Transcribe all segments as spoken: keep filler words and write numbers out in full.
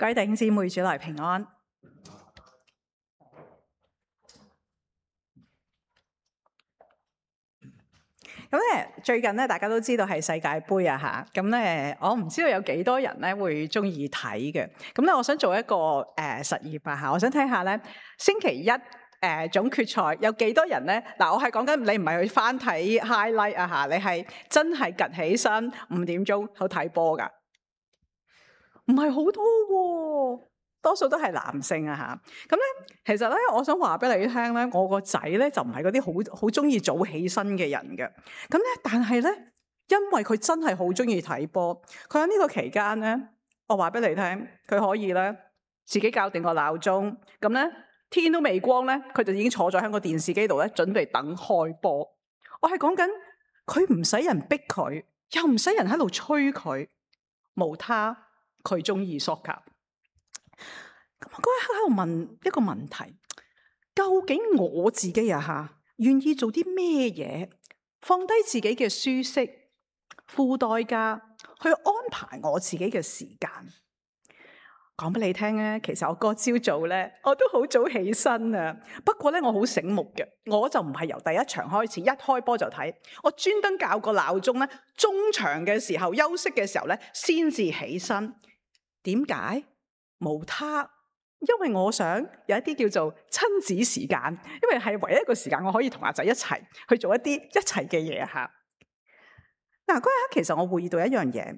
各位弟兄姊妹，主內平安。咁咧，最近咧，大家都知道係世界盃啊嚇。咁咧，我唔知道有幾多人咧會中意睇嘅。咁咧，我想做一個誒、呃、實驗啊嚇。我想睇下咧，星期一誒、呃、總決賽有幾多人咧？嗱，我係講緊你唔係去翻睇 highlight 啊嚇，你係真係趌起身五點鐘去睇波㗎。唔係好多喎，多數都係男性啊嚇。咁咧，其實咧，我想話俾你聽咧，我個仔咧就唔係嗰啲好好中意早起身嘅人嘅。咁咧，但係咧，因為佢真係好中意睇波，佢喺呢個期間咧，我話俾你聽，佢可以咧自己校定個鬧鐘，咁咧天都未光咧，佢就已經坐咗喺個電視機度咧，準備等開波。我係講緊佢唔使人逼佢，又唔使人喺度催佢，無他。佢中意 soccer，咁我嗰一刻喺度問一個問題：究竟我自己啊嚇，願意做啲咩嘢，放低自己嘅舒適，付代價去安排我自己嘅時間？講俾你聽咧，其實我嗰朝早咧，我都好早起身啊。不過咧，我好醒目嘅，我就唔係由第一場開始，一開波就睇。我專登校個鬧鐘咧，中場嘅時候休息嘅時候咧，先至起身。點解？無他，因為我想有一啲叫做親子時間，因為係唯一一個時間我可以同阿仔一齊去做一啲一齊嘅嘢嚇。嗱，嗰一刻其實我會意到一樣嘢，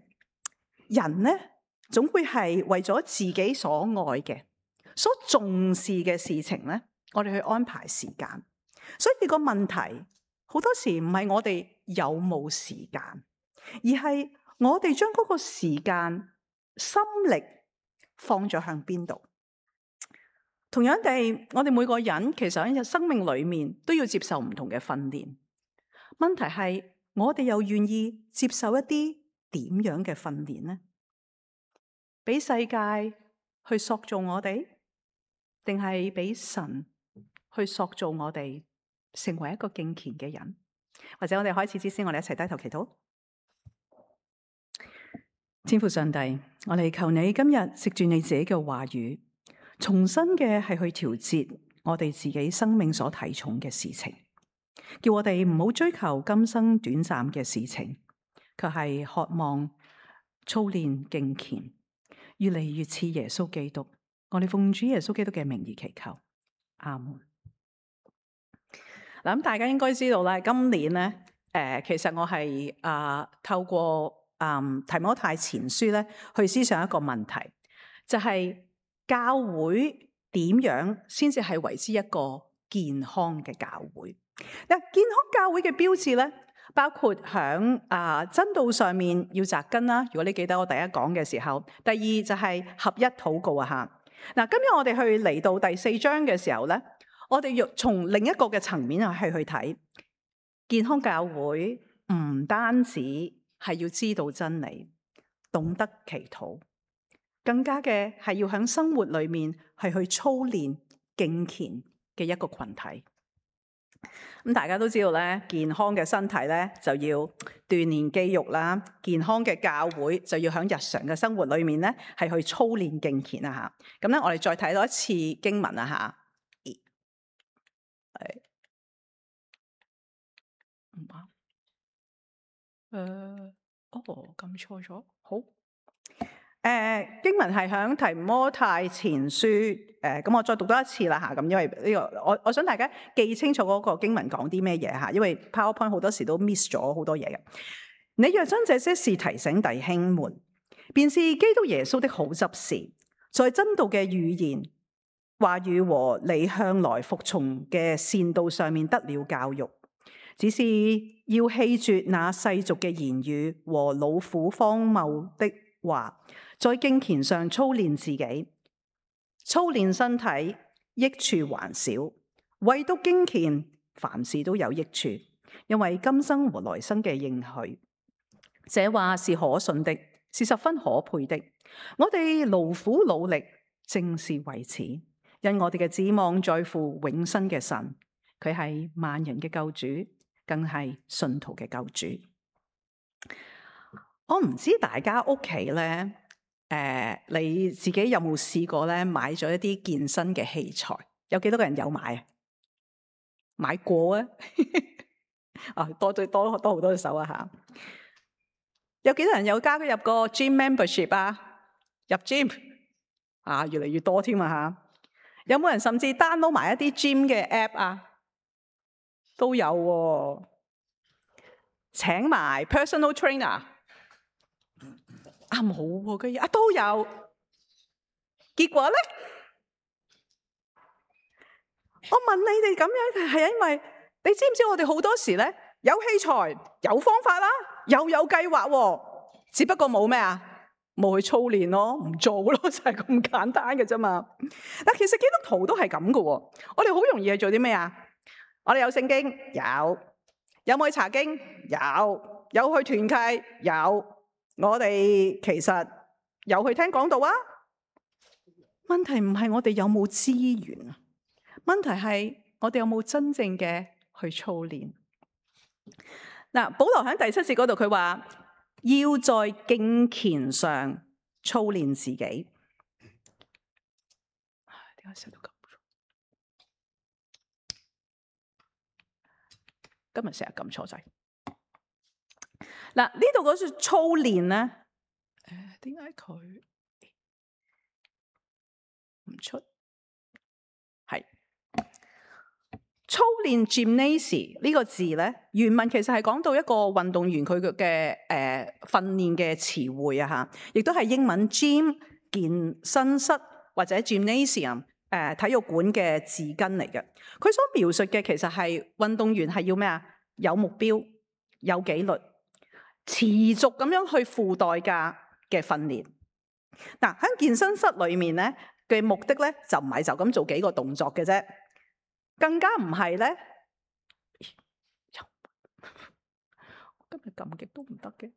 人咧總會係為咗自己所愛嘅、所重視嘅事情咧，我哋去安排時間。所以個問題好多時唔係我哋有冇時間，而係我哋將嗰個時間、心力放咗向邊度？同樣地，我哋每個人其實喺生命裏面都要接受唔同嘅訓練。問題係我哋又願意接受一啲點樣嘅訓練呢？俾世界去塑造我哋，定係俾神去塑造我哋，成為一個敬虔嘅人？或者我哋開始之前，我哋一齊低頭祈禱。天父上帝，我哋求你今日藉住你自己嘅話語，重新嘅係去調節我哋自己生命所睇重嘅事情，叫我哋唔好追求今生短暫嘅事情，卻係渴望操練敬虔，越嚟越似耶穌基督。我哋奉主耶穌基督嘅名而祈求，阿門。嗱，咁大家應該知道咧，今年咧，誒、呃，其實我係啊、呃、透過。嗯，提摩太前書咧，去思想一個問題，就係、是、教會點樣先至係為之一個健康嘅教會？嗱，健康教會嘅標誌咧，包括響啊、呃、真道上面要扎根啦。如果你記得我第一講嘅時候，第二就係合一禱告啊吓。嗱，今日我哋去嚟到第四章嘅時候咧，我哋要從另一個嘅層面去去睇健康教會，唔單止。係要知道真理，懂得祈禱，更加嘅係要喺生活裏面係去操練敬虔嘅一個群體。咁大家都知道咧，健康嘅身體咧就要鍛煉肌肉啦，健康嘅教會就要喺日常嘅生活裏面咧係去操練敬虔啊吓。咁咧，我哋再睇多一次經文啊吓。係，唔啱。誒、uh, 哦，撳錯咗。好，誒、呃、經文係響提摩太前書，誒、呃、咁我再讀多一次啦嚇。咁因為呢、這個我我想大家記清楚嗰個經文講啲咩嘢嚇，因為 PowerPoint 好多時都 miss 咗好多嘢嘅。你若將這些事提醒弟兄們，便是基督耶穌的好執事，在真道嘅語言、話語和你向來服從嘅善道上面得了教育。只是要棄絕那世俗嘅言語和老婦荒謬的話，在敬虔上操練自己，操練身體，益處還少。唯獨敬虔，凡事都有益處，因為今生和來生嘅應許。這話是可信的，是十分可佩的。我哋勞苦努力，正是為此，因我哋嘅指望在乎永生嘅神，佢係萬人嘅救主。更係信徒嘅救主。我唔知大家屋企咧，呃，你自己有冇試過咧買咗一啲健身嘅器材？有幾多個人有買啊？買過啊？啊，多對多多好多隻手啊吓！有幾多人有加入個 gym membership 啊？入 gym 啊，越嚟越多添啊吓！有冇人甚至 download 埋一啲 gym 嘅 app 啊？都有喎、啊。請埋 personal trainer 啊，冇喎，居然啊都有。結果咧，我問你哋咁樣係因為你知唔知我哋好多時咧有器材、有方法啦，又有計劃喎，只不過冇咩啊？冇去操練咯，唔做咯，就係咁簡單嘅啫嘛。但其實基督徒都係咁嘅喎，我哋好容易去做啲咩啊？我哋有聖經，有。有冇去查經？有。有去團契？有。我哋其實有去聽講道啊。問題唔係我哋有冇資源啊，問題係我哋有冇真正嘅去操練。嗱，保羅喺第七節嗰度佢話要在敬虔上操練自己。點解寫到咁？今日成日撳錯掣。嗱，呢度嗰句操練咧，誒，點解佢唔出？係操練 gymnasium 呢個字咧，原文其實係講到一個運動員佢嘅誒訓練嘅詞彙啊嚇，亦都係英文 gym 健身室或者 gymnasium 誒、呃、體育館嘅字根嚟嘅。佢所描述嘅其實係運動員係要咩啊？有目標、有紀律、持續咁樣去付代價嘅訓練。嗱，喺健身室裏面咧嘅目的咧就唔係就咁做幾個動作嘅啫，更加唔係咧。今日撳極都唔得嘅，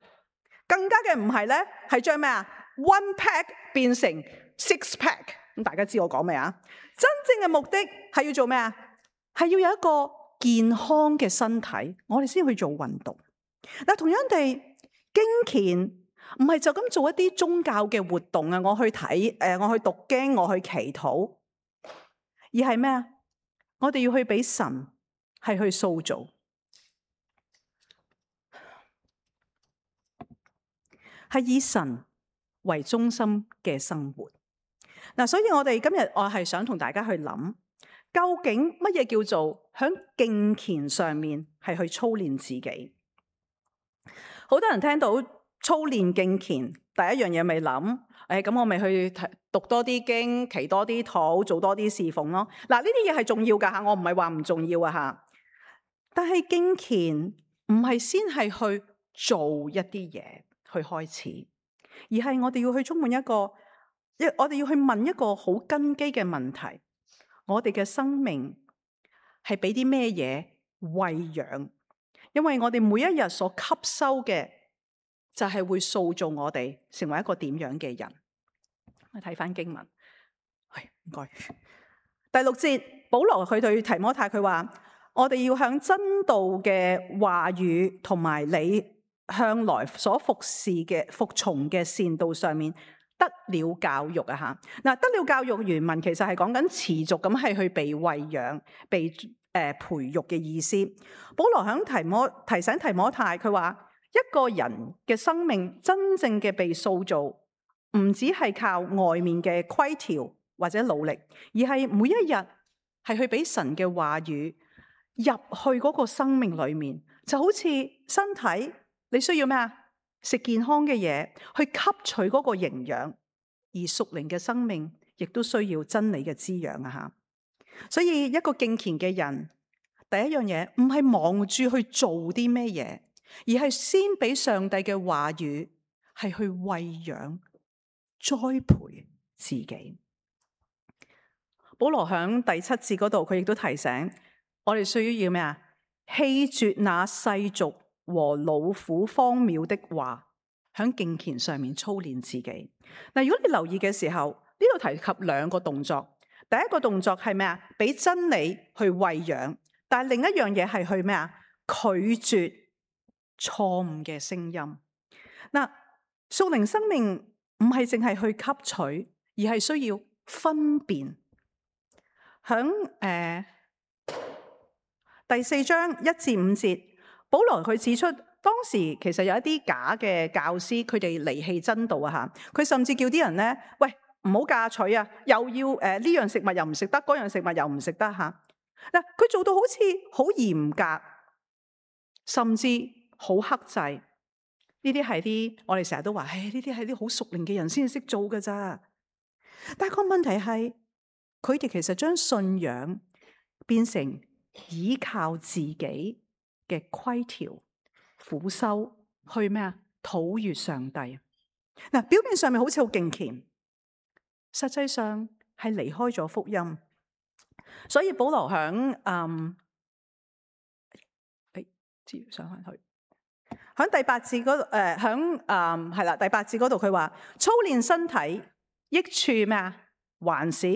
更加嘅唔係咧，係將咩啊 one pack 變成 six pack。咁大家知我講咩啊？真正嘅目的係要做咩啊？係要有一個健康嘅身體，我哋先去做運動。嗱，同樣地，敬虔唔係就咁做一啲宗教嘅活動啊，我去睇誒，我去讀經，我去祈禱，而係咩啊？我哋要去俾神係去塑造，係以神為中心嘅生活。嗱，所以我哋今日我係想同大家去諗，究竟乜嘢叫做喺敬虔上面係去操練自己？好多人聽到操練敬虔，第一樣嘢咪諗，誒咁我咪去讀多啲經，祈多啲禱，做多啲侍奉咯。嗱，呢啲嘢係重要噶吓，我唔係話唔重要啊吓。但係敬虔唔係先係去做一啲嘢去開始，而係我哋要去充滿一個，一我哋要去問一個好根基嘅問題：我哋嘅生命係俾啲咩嘢餵養？因為我哋每一日所吸收嘅就係會塑造我哋成為一個點樣嘅人。我睇翻經文，係唔該。第六節，保羅佢對提摩太佢話：我哋要向真道嘅話語同埋你向來所服侍嘅服從嘅善道上面得了教育啊！吓，嗱，得了教育原文其實係講緊持續咁係去被餵養、被誒培育嘅意思。保羅響提摩提醒提摩太，佢話一個人嘅生命真正嘅被塑造，唔只係靠外面嘅規條或者努力，而係每一日係去俾神嘅話語入去嗰個生命裏面，就好似身體你需要咩啊？食健康嘅嘢去吸取嗰個營養，而屬靈嘅生命亦都需要真理嘅滋養啊！吓。所以一個敬虔嘅人，第一樣嘢唔係忙住去做啲咩嘢，而係先俾上帝嘅話語係去餵養、栽培自己。保羅響第七節嗰度，佢亦都提醒我哋需要咩啊？棄絕那世俗和老虎荒謬的話，響敬虔上面操練自己。嗱，如果你留意嘅時候，呢度提及兩個動作。第一個動作係咩啊？俾真理去餵養，但係另一樣嘢係去咩啊？拒絕錯誤嘅聲音。嗱，屬靈生命唔係淨係去吸取，而係需要分辨。響誒、呃、第四章一至五節，保羅佢指出當時其實有一啲假嘅教師，佢哋離棄真道啊吓，佢甚至叫啲人咧，喂，唔好嫁娶啊，又要誒呢、呃、樣食物又唔食得，嗰樣食物又唔食得吓。嗱，佢做到好似好嚴格，甚至好克制。呢啲係啲我哋成日都話，唉，呢啲係啲好熟練嘅人先至識做㗎咋。但係個問題係，佢哋其實將信仰變成依靠自己嘅規條、苦修去咩啊？討悅上帝。嗱，表面上面好似好敬虔，實際上係離開咗福音。所以保羅響嗯，誒，接上翻去，響第八節嗰度，誒，響嗯係啦，第八節嗰度佢話操練身體益處咩啊？還少，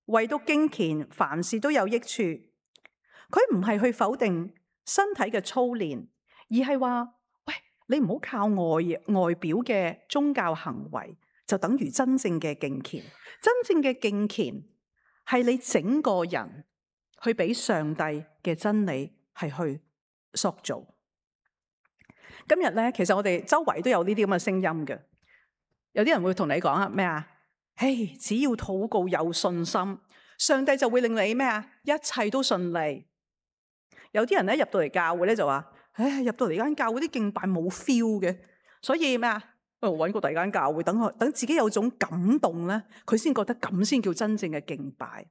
唯獨敬虔，凡事都有益處。佢唔係去否定身體嘅操練，而係話，喂，你唔好靠外外表嘅宗教行為，就等於真正嘅敬虔。真正嘅敬虔係你整個人去俾上帝嘅真理係去塑造。今日咧，其實我哋周圍都有呢啲咁嘅聲音嘅。有啲人會同你講啊，咩啊？嘿，只要禱告有信心，上帝就會令你咩啊？一切都順利。有啲人咧入到嚟教會咧就話，唉，入到嚟間教會啲敬拜冇 feel 嘅，所以咩啊？我揾個第二間教會，等佢等自己有種感動咧，佢先覺得咁先叫真正嘅敬拜。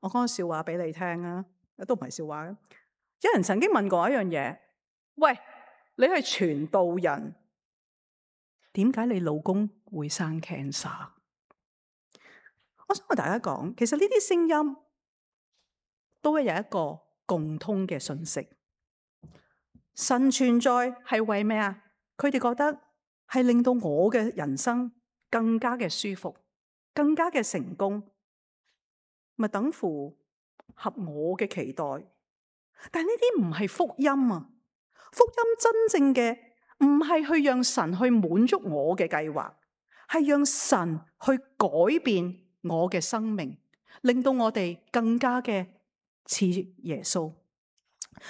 我講個笑話俾你聽啊，都唔係笑話。有人曾經問過一樣嘢，喂，你係傳道人，點解你老公會生 cancer？ 我想同大家講，其實呢啲聲音都係有一個共通嘅信息。神存在係為咩啊？佢哋覺得係令到我嘅人生更加嘅舒服，更加嘅成功，咪等乎合我嘅期待。但呢啲唔係福音啊！福音真正嘅唔係去讓神去滿足我嘅計劃，係讓神去改變我嘅生命，令到我哋更加嘅似耶穌。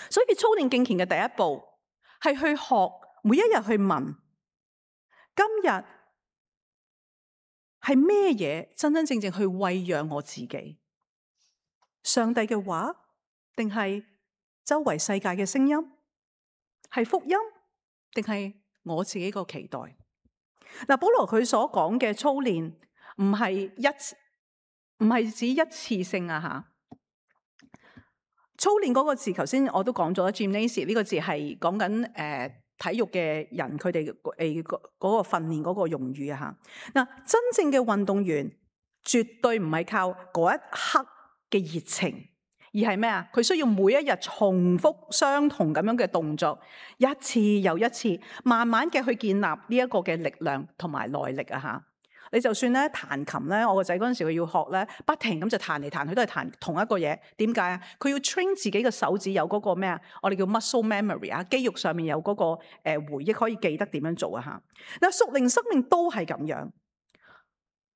所以操練敬虔嘅第一步係去學，每一日去問，今日係咩嘢真真正正去餵養我自己？上帝嘅話，定係周圍世界嘅聲音？係福音，定係我自己個期待？嗱，保羅佢所講嘅操練唔係一唔係指一次性啊吓。操練嗰個字，頭先我都講咗 gymnasium 呢個字係講緊誒體育嘅人佢哋誒嗰個訓練嗰個用語啊吓。嗱，真正嘅運動員絕對唔係靠嗰一刻嘅熱情，而係咩啊？佢需要每一日重複相同咁樣嘅動作，一次又一次，慢慢嘅去建立呢一個嘅力量同埋耐力啊吓。你就算咧彈琴咧，我個仔嗰陣時佢要學咧，不停咁就彈嚟彈去都係彈同一個嘢。點解啊？佢要 train 自己嘅手指有嗰個咩啊？我哋叫 muscle memory 啊，肌肉上面有嗰個誒回憶可以記得點樣做啊吓。嗱，屬靈生命都係咁樣，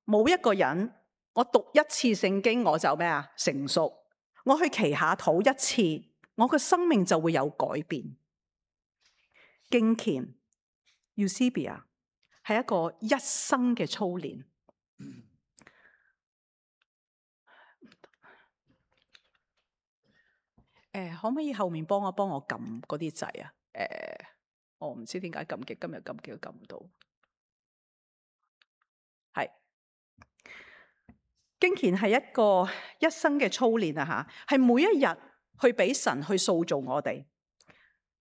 冇一個人我讀一次聖經我就咩啊成熟，我去祈下禱一次，我個生命就會有改變。敬虔 Eusebia 係一個一生嘅操練。誒，可唔可以後面幫我幫我撳嗰啲掣啊？誒，我唔知點解撳極，今日撳極都撳唔到。係敬虔係一個一生嘅操練啊！吓，係每一日去俾神去塑造我哋。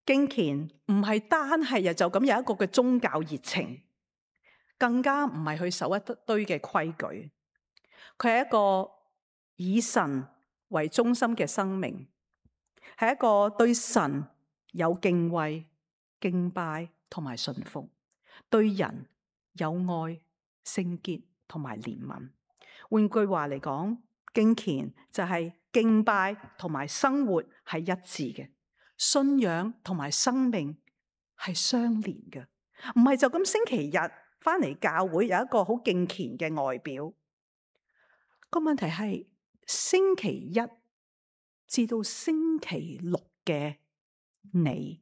敬虔唔係單係日就咁有一個嘅宗教熱情。更加唔係去守一堆嘅規矩，佢係一個以神為中心嘅生命，係一個對神有敬畏、敬拜同埋順服，對人有愛、聖潔同埋憐憫。換句話嚟講，敬虔就係敬拜同埋生活係一致嘅，信仰同埋生命係相連嘅，唔係就咁星期日翻嚟教會有一個好敬虔嘅外表。個問題係星期一至到星期六嘅你，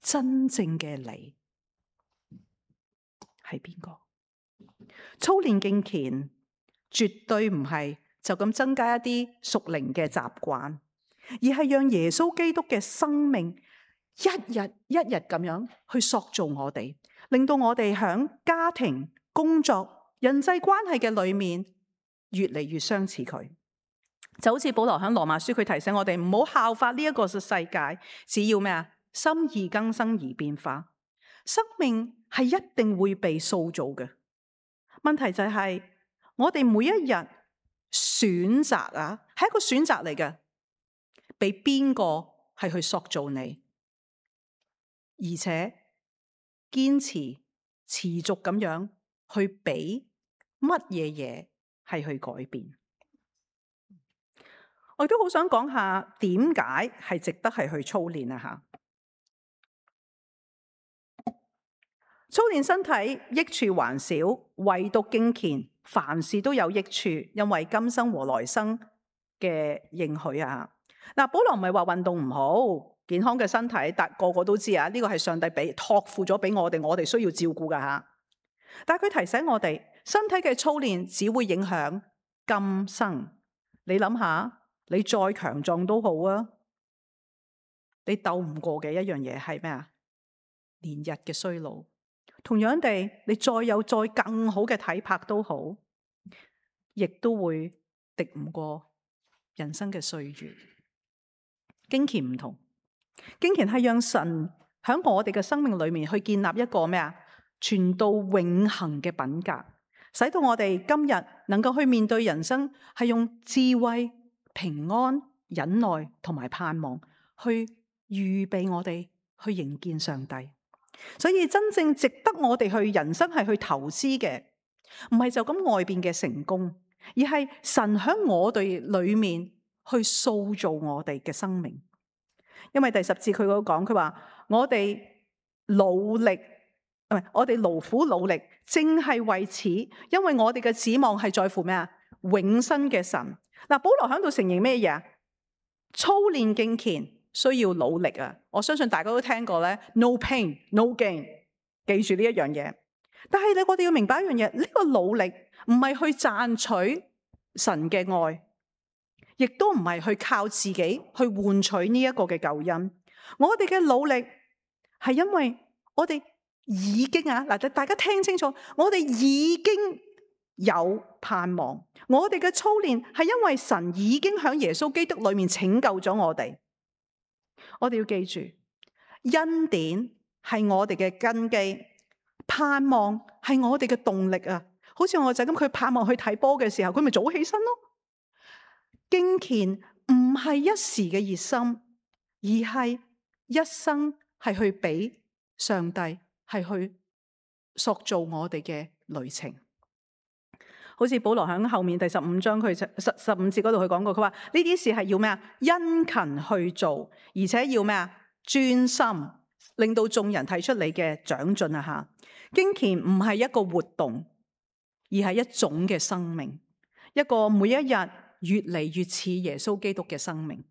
真正嘅你係邊個？操練敬虔絕對唔係就咁增加一啲屬靈嘅習慣，而係讓耶穌基督嘅生命一日一日咁樣去塑造我哋，令到我哋響家庭、工作、人際關係嘅裏面越嚟越相似佢。就好似保羅響羅馬書，佢提醒我哋唔好效法呢一個世界，只要咩啊？心意更新而變化。生命係一定會被塑造嘅。問題就係我哋每一日選擇啊，係一個選擇嚟嘅，俾邊個係去塑造你，而且堅持持續咁樣去俾乜嘢嘢係去改變。我亦都好想講下點解係值得係去操練啊！吓，操練身體益處還少，唯獨敬虔凡事都有益處，因為今生和來生嘅應許啊！嗱，保羅唔係話運動唔好，健康嘅身體，但個個都知啊，呢個係上帝俾託付咗俾我哋，我哋需要照顧噶吓。但係佢提醒我哋，身體嘅操練只會影響今生。你諗下。你再強壯都好啊，你鬥唔過嘅一樣嘢係咩啊？年日嘅衰老。同樣地，你再有再更好嘅體魄都好，亦都會敵唔過人生嘅歲月。敬虔唔同，敬虔係讓神喺我哋嘅生命裏面去建立一個咩啊？傳到永恆嘅品格，使到我哋今日能夠去面對人生，係用智慧、平安、忍耐同埋盼望去預備我哋去迎見上帝。所以真正值得我哋去人生係去投資嘅，唔係就咁外邊嘅成功，而係神喺我哋裏面去塑造我哋嘅生命。因為第十節佢嗰講，佢話我哋努力，唔係我哋勞苦努力，正係為此，因為我哋嘅指望係在乎咩啊？永生嘅神。嗱，保羅喺度承認咩嘢啊？操練敬虔需要努力啊！我相信大家都聽過咧 ，no pain no gain， 記住呢一樣嘢。但係咧，我哋要明白一樣嘢，呢個努力唔係去賺取神嘅愛，亦都唔係去靠自己去換取呢一個嘅救恩。我哋嘅努力係因為我哋已經啊，嗱，大家聽清楚，我哋已經有盼望。我哋嘅操練係因為神已經喺耶穌基督裏面拯救咗我哋。我哋要記住，恩典係我哋嘅根基，盼望係我哋嘅動力啊！好似我個仔咁，佢盼望去睇波嘅時候，佢咪早起身咯。敬虔唔係一時嘅熱心，而係一生係去俾上帝係去塑造我哋嘅旅程。好似保羅喺後面第十五章佢十十五節嗰度佢講過，佢話呢啲事係要咩啊？殷勤去做，而且要咩啊？專心，令到眾人睇出你嘅長進啊！吓，敬虔唔係一個活動，而係一種嘅生命，一個每一日越嚟越似耶穌基督嘅生命。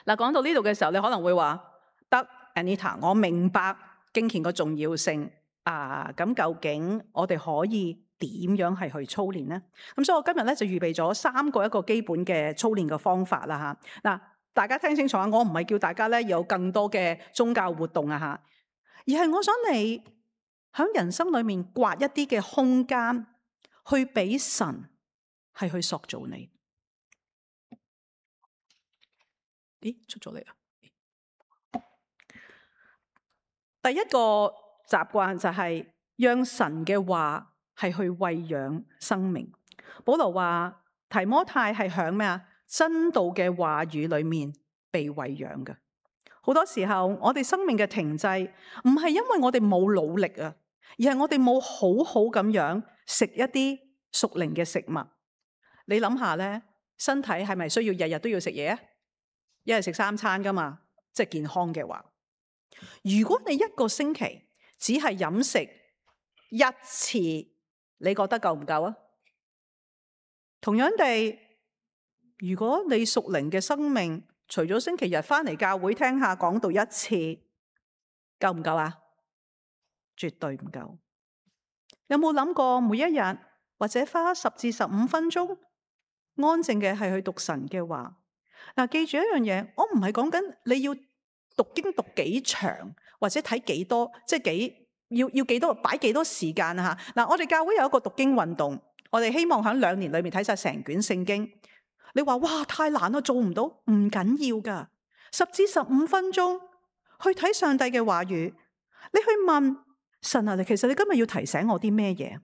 嗱，講到呢度嘅時候，你可能會話得 Anita， 我明白敬虔個重要性啊！咁究竟我哋可以點樣係去操練呢？咁所以我今日咧就預備咗三個一個基本嘅操練嘅方法啦吓。嗱，大家聽清楚啊！我唔係叫大家咧有更多嘅宗教活動啊吓，而係我想你喺人生裏面刮一啲嘅空間，去俾神係去塑造你。咦，出咗嚟啦！第一個習慣就係讓神嘅話係去餵養生命。保羅話提摩太係響咩啊？真道嘅話語裏面被餵養嘅。好多時候我哋生命嘅停滯唔係因為我哋冇努力啊，而係我哋冇好好咁樣食一啲屬靈嘅食物。你諗下咧，身體係咪需要日日都要食嘢啊？一日食三餐噶嘛，即係健康嘅話。如果你一個星期只係飲食一次，你覺得夠唔夠啊？同樣地，如果你屬靈嘅生命，除咗星期日返嚟教會聽下講道一次，夠唔夠啊？絕對唔夠。有冇諗過每一日或者花十至十五分鐘安靜嘅係去讀神嘅話？嗱，記住一樣嘢，我唔係講緊你要讀經讀幾長，或者睇幾多，即係幾要要幾多擺幾多時間啊吓。嗱，我哋教會有一個讀經運動，我哋希望喺兩年裏面睇晒成卷聖經。你話哇太難啦，做唔到，唔緊要噶，十至十五分鐘去睇上帝嘅話語，你去問神啊，你其實你今日要提醒我啲咩嘢？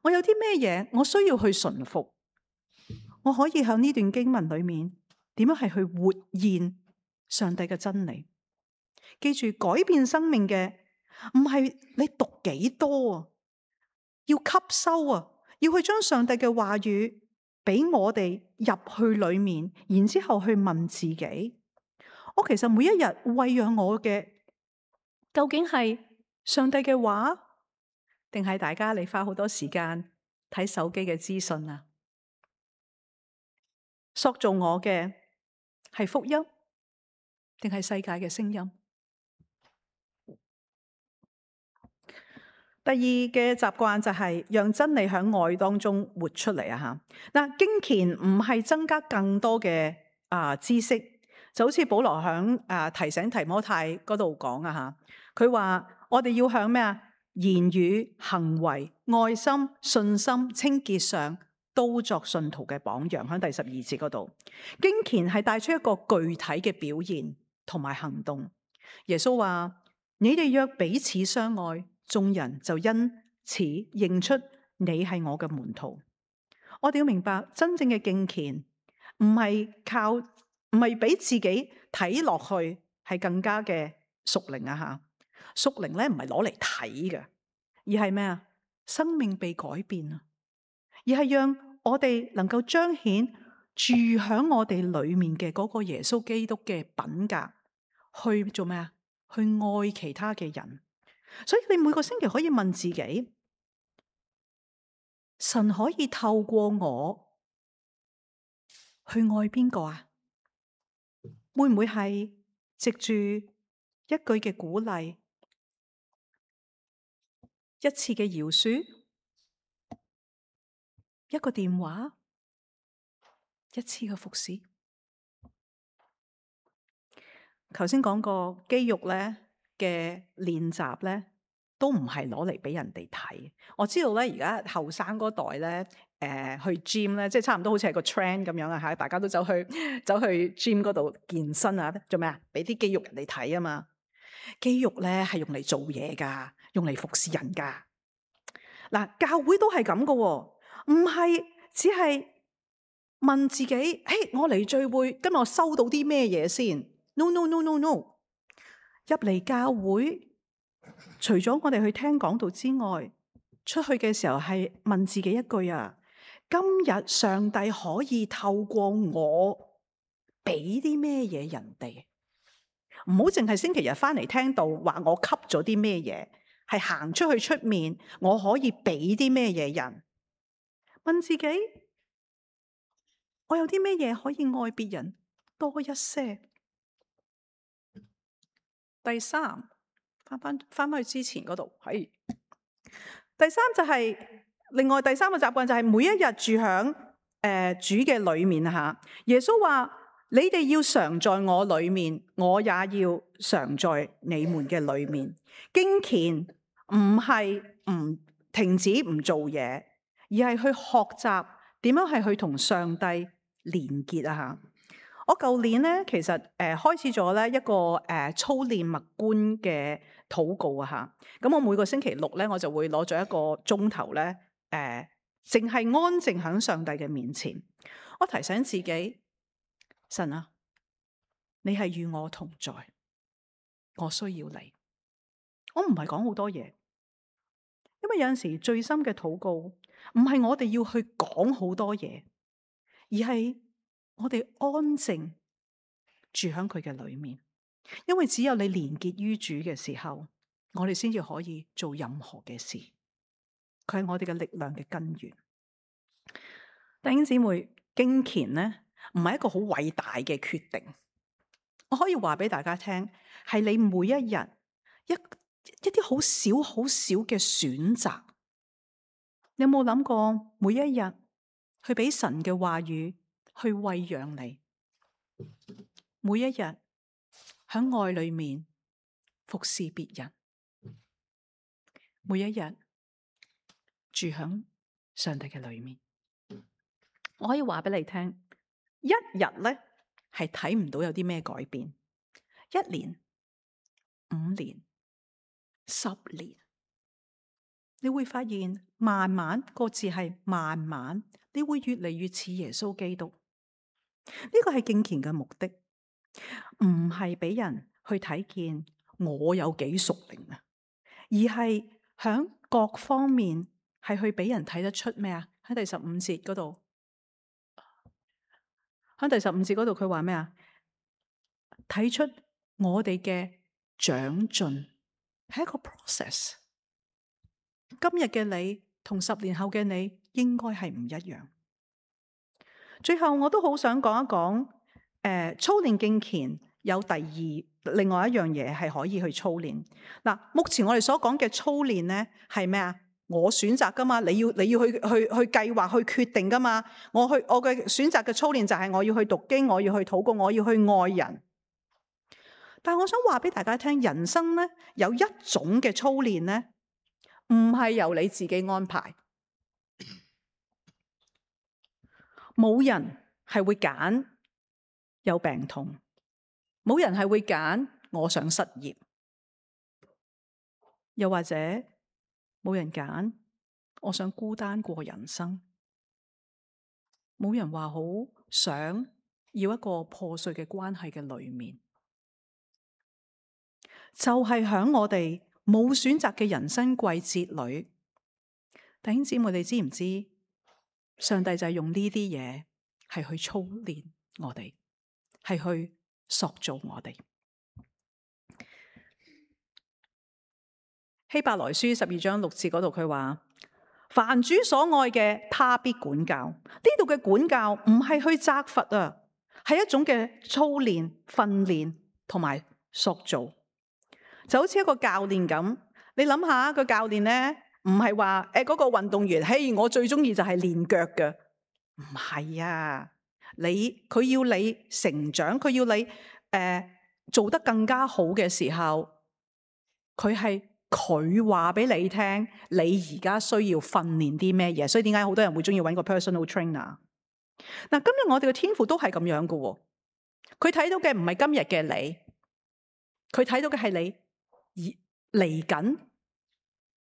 我有啲咩嘢我需要去順服？我可以喺呢段經文裏面點樣係去活現上帝嘅真理？記住，改變生命嘅唔係你讀幾多啊，要吸收啊，要去將上帝嘅話語俾我哋入去裏面，然之後去問自己：我其實每一日餵養我嘅，究竟係上帝嘅話，定係大家你花好多時間睇手機嘅資訊啊？塑造我嘅係福音，定係世界嘅聲音？第二嘅習慣就係讓真理喺愛當中活出嚟啊！吓，嗱，經虔唔係增加更多嘅啊知識，就好似保羅響啊提醒提摩太嗰度講啊吓，佢話我哋要向咩啊？言語、行為、愛心、信心、清潔上都作信徒嘅榜樣。喺第十二節嗰度，經虔係帶出一個具體嘅表現同埋行動。耶穌話：你哋若彼此相愛，眾人就因此認出你係我嘅門徒。我哋要明白，真正嘅敬虔唔係靠，唔係俾自己睇落去係更加嘅屬靈啊吓。屬靈咧唔係攞嚟睇嘅，而係咩啊？生命被改變啊，而係讓我哋能夠彰顯住響我哋裏面嘅嗰個耶穌基督嘅品格，去做咩啊？去愛其他嘅人。所以你每個星期可以問自己：神可以透過我去愛邊個啊？會唔會係藉住一句嘅鼓勵，一次嘅饒恕，一個電話，一次嘅服侍？頭先講過肌肉咧嘅練習咧，都唔係攞嚟俾人哋睇。我知道咧，而家後生嗰代咧，誒、呃、去 gym 咧，即係差唔多好似係個 trend 咁樣啊嚇！大家都走去走去 gym 嗰度健身啊，做咩啊？俾啲肌肉人哋睇啊嘛！肌肉咧係用嚟做嘢噶，用嚟服侍人噶。嗱，教會都係咁噶，唔係只係問自己：嘿，我嚟聚會，今日我收到啲咩嘢先？No no no no no！ 入嚟教會，除咗我哋去聽講道之外，出去嘅時候係問自己一句啊：今日上帝可以透過我俾啲咩嘢人哋？唔好淨係星期日翻嚟聽道話我吸咗啲咩嘢，係行出去出面我可以俾啲咩嘢人？問自己，我有啲咩嘢可以愛別人多一些？第三，翻翻翻翻去之前嗰度，係第三就係、是、另外第三個習慣就係每一日住響誒、呃、主嘅裏面吓。耶穌話：你哋要常在我裏面，我也要常在你們嘅裏面。經虔唔係唔停止唔做嘢，而係去學習點樣係去同上帝連結啊吓。我舊年咧，其實誒、呃、開始咗咧一個誒、呃、操練默觀嘅禱告啊吓。咁我每個星期六咧，我就會攞咗一個鐘頭咧，誒、呃，淨係安靜喺上帝嘅面前。我提醒自己，神啊，你係與我同在，我需要你。我唔係講好多嘢，因為有陣時最深嘅禱告唔係我哋要去講好多嘢，而係我哋安靜住喺佢嘅裏面，因為只有你連結於主嘅時候，我哋先至可以做任何嘅事。佢係我哋嘅力量嘅根源。弟兄姊妹，敬虔咧唔係一個好偉大嘅決定。我可以話俾大家聽，係你每一日一一啲好少好少嘅選擇。你有冇諗過每一日去俾神嘅話語去餵養你？每一日喺愛裏面服侍別人，每一日住喺上帝嘅裏面。我可以話俾你聽，一日咧係睇唔到有啲咩改變，一年、五年、十年，你會發現慢慢，個字係慢慢，你會越嚟越似耶穌基督。呢個係敬虔嘅目的，唔係俾人去睇見我有幾屬靈啊，而係響各方面係去俾人睇得出咩啊？喺第十五節嗰度。喺第十五節嗰度，佢話咩啊？睇出我哋嘅長進係一個 process。今日嘅你同十年後嘅你應該係唔一樣。最後我都好想講一講，誒、呃，操練敬虔有第二另外一樣嘢係可以去操練。嗱，目前我哋所講嘅操練咧係咩啊？我選擇噶嘛，你要你要去去去計劃去決定噶嘛。我去我嘅選擇嘅操練就係我要去讀經，我要去禱告，我要去愛人。但係我想話俾大家聽，人生咧有一種嘅操練咧，唔係由你自己安排。冇人係會揀有病痛，冇人係會揀我想失業，又或者冇人揀我想孤單過人生，冇人話好想要一個破碎嘅關係嘅裏面，就係響我哋冇選擇嘅人生季節裏，弟兄姊妹，你知唔知上帝就係用呢啲嘢係去操練我哋，係去塑造我哋。希伯來書十二章六節嗰度佢話：凡主所愛嘅，他必管教。呢度嘅管教唔係去責罰啊，係一種嘅操練、訓練同埋塑造。就好似一個教練咁，你諗下個教練咧，唔係話誒嗰個運動員，嘿，我最中意就係練腳嘅，唔係啊。你佢要你成長，佢要你誒、呃、做得更加好嘅時候，佢係。佢話俾你聽，你而家需要訓練啲咩嘢？所以點解好多人會中意揾個 personal trainer？ 嗱，今日我哋嘅天父都係咁樣噶，佢睇到嘅唔係今日嘅你，佢睇到嘅係你而嚟緊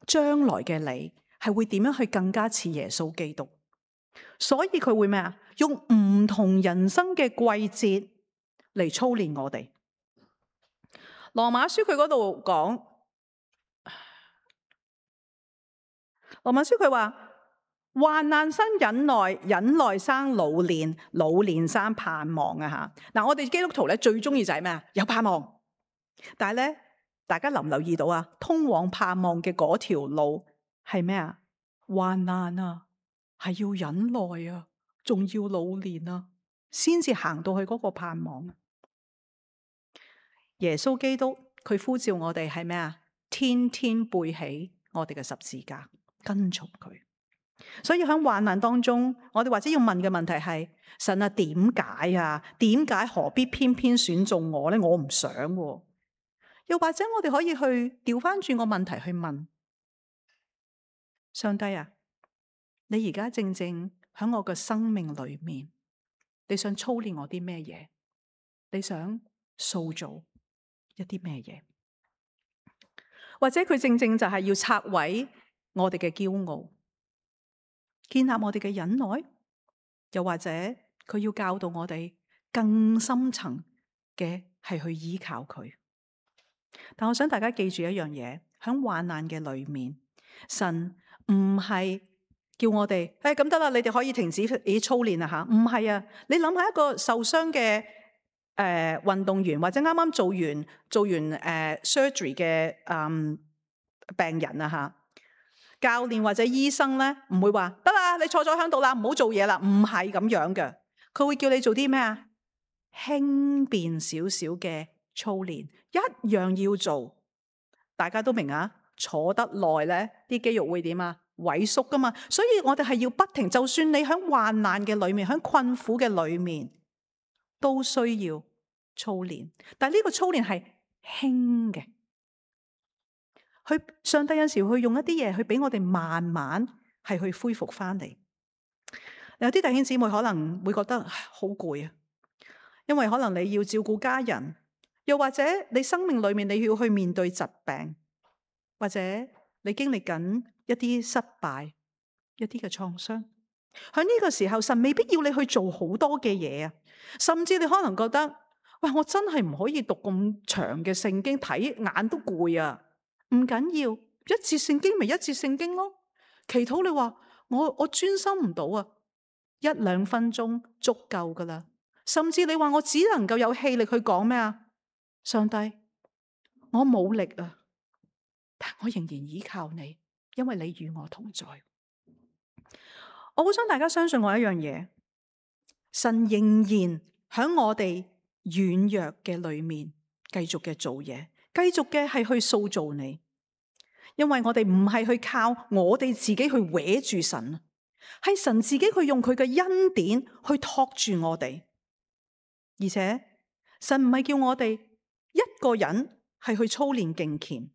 將來嘅你係會點樣去更加似耶穌基督。所以佢會咩啊？用唔同人生嘅季節嚟操練我哋。羅馬書佢嗰度講。羅馬書佢話：患難生忍耐，忍耐生老練，老練生盼望啊！吓，嗱，我哋基督徒咧最中意就係咩啊？有盼望。但係咧，大家留唔留意到啊？通往盼望嘅嗰條路係咩啊？患難啊，係要忍耐啊，仲要老練啊，先至行到去嗰個盼望。耶穌基督佢呼召我哋係咩啊？天天背起我哋嘅十字架。跟從佢，所以喺患難當中，我哋或者要問嘅問題係：神啊，點解啊？點解何必偏偏選中我咧？我唔想喎。又或者我哋可以去調翻轉個問題去問上帝啊，你而家正正喺我嘅生命裏面，你想操練我啲咩嘢？你想塑造一啲咩嘢？或者佢正正就係要拆毀我哋嘅驕傲，建立我哋嘅忍耐，又或者佢要教導我哋更深層嘅係去依靠佢。但我想大家記住一樣嘢，喺患難嘅裏面，神唔係叫我哋誒咁得啦，你哋可以停止以操練啦吓，唔係啊！你諗下一個受傷嘅誒運動員，或者啱啱做完做完誒、呃、surgery 嘅嗯病人啊吓。教練或者醫生咧，唔會話得啦，你坐咗喺度啦，唔好做嘢啦，唔係咁樣嘅。佢會叫你做啲咩啊？輕便少少嘅操練，一樣要做。大家都明啊，坐得耐咧，啲肌肉會點啊？萎縮噶嘛。所以我哋係要不停，就算你喺患難嘅裏面，喺困苦嘅裏面，都需要操練。但係呢個操練係輕嘅。去上帝有時會用一啲嘢去俾我哋慢慢係去恢復翻嚟。有啲弟兄姊妹可能會覺得好攰啊，因為可能你要照顧家人，又或者你生命裏面你要去面對疾病，或者你經歷緊一啲失敗、一啲嘅創傷。喺呢個時候，神未必要你去做好多嘅嘢啊，甚至你可能覺得，喂，我真係唔可以讀咁長嘅聖經，睇眼都攰啊。唔緊要，一節聖經咪一節聖經咯。祈禱你話我我專心唔到啊，一兩分鐘足夠噶啦。甚至你話我只能夠有氣力去講咩啊？上帝，我冇力啊，但我仍然依靠你，因為你與我同在。我好想大家相信我一樣嘢，神仍然喺我哋軟弱嘅裏面繼續嘅做嘢，繼續嘅係去塑造你。因為我哋唔係去靠我哋自己去搲住神，係神自己去用佢嘅恩典去托住我哋。而且神唔係叫我哋一個人係去操練敬虔。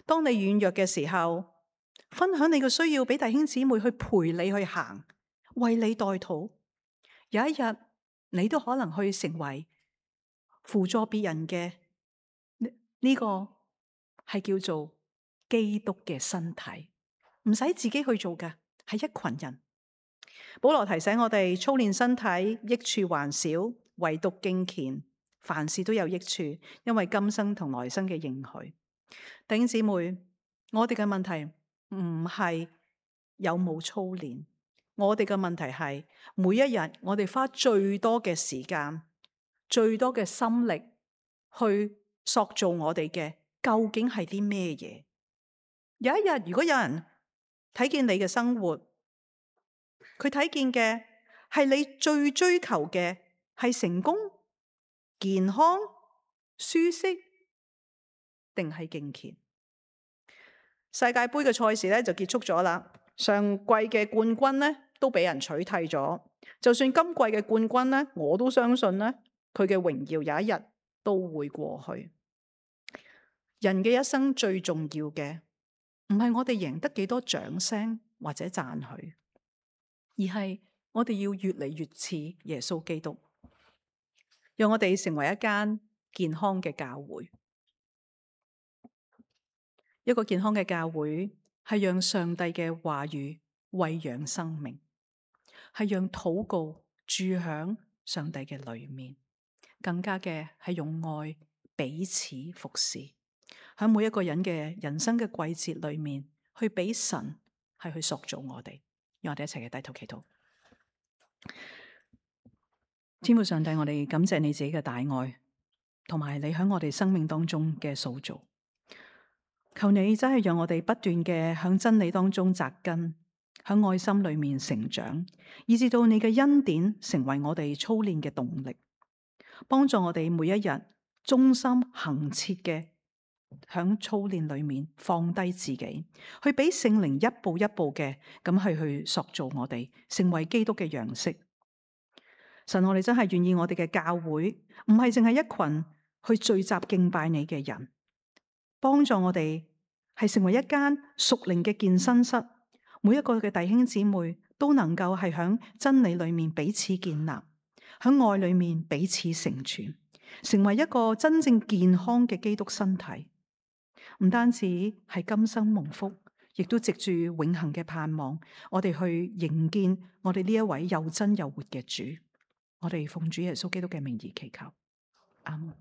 當你軟弱嘅時候，分享你嘅需要俾弟兄姊妹去陪你去行，為你代禱。有一日你都可能去成為輔助別人嘅呢、呢個係叫做基督嘅身體，唔使自己去做嘅，係一群人。保羅提醒我哋操練身體益處還少，唯獨敬虔凡事都有益處，因為今生同來生嘅應許。弟兄姊妹，我哋嘅問題唔係有冇操練，我哋嘅問題係每一日我哋花最多嘅時間、最多嘅心力去塑造我哋嘅，究竟係啲咩嘢？有一日，如果有人睇見你嘅生活，佢睇見嘅係你最追求嘅係成功、健康、舒適，定係敬虔？世界盃嘅賽事咧就結束咗啦，上季嘅冠軍咧都俾人取締咗。就算今季嘅冠軍咧，我都相信咧佢嘅榮耀有一日都會過去。人嘅一生最重要嘅，唔係我哋贏得幾多掌聲或者讚許，而係我哋要越嚟越似耶穌基督，讓我哋成為一間健康嘅教會。一個健康嘅教會係讓上帝嘅話語餵養生命，係讓禱告住響上帝嘅裏面，更加嘅係用愛彼此服侍。喺每一個人嘅人生嘅季節裏面，去俾神係去塑造我哋，讓我哋一齊嘅低頭祈禱。天父上帝，我哋感謝你自己嘅大愛，同埋你喺我哋生命當中嘅塑造。求你真係讓我哋不斷嘅響真理當中扎根，喺愛心裏面成長，以至到你嘅恩典成為我哋操練嘅動力，幫助我哋每一日忠心恆切嘅響操練裏面放低自己，去俾聖靈一步一步嘅咁去去塑造我哋，成為基督嘅樣式。神，我哋真係願意我哋嘅教會唔係淨係一群去聚集敬拜你嘅人，幫助我哋係成為一間屬靈嘅健身室，每一個嘅弟兄姊妹都能夠係響真理裏面彼此建立，響愛裏面彼此成全，成為一個真正健康嘅基督身體。唔單止係今生蒙福，亦都藉住永恆嘅盼望，我哋去迎見我哋呢一位又真又活嘅主。我哋奉主耶穌基督嘅名義祈求，阿門。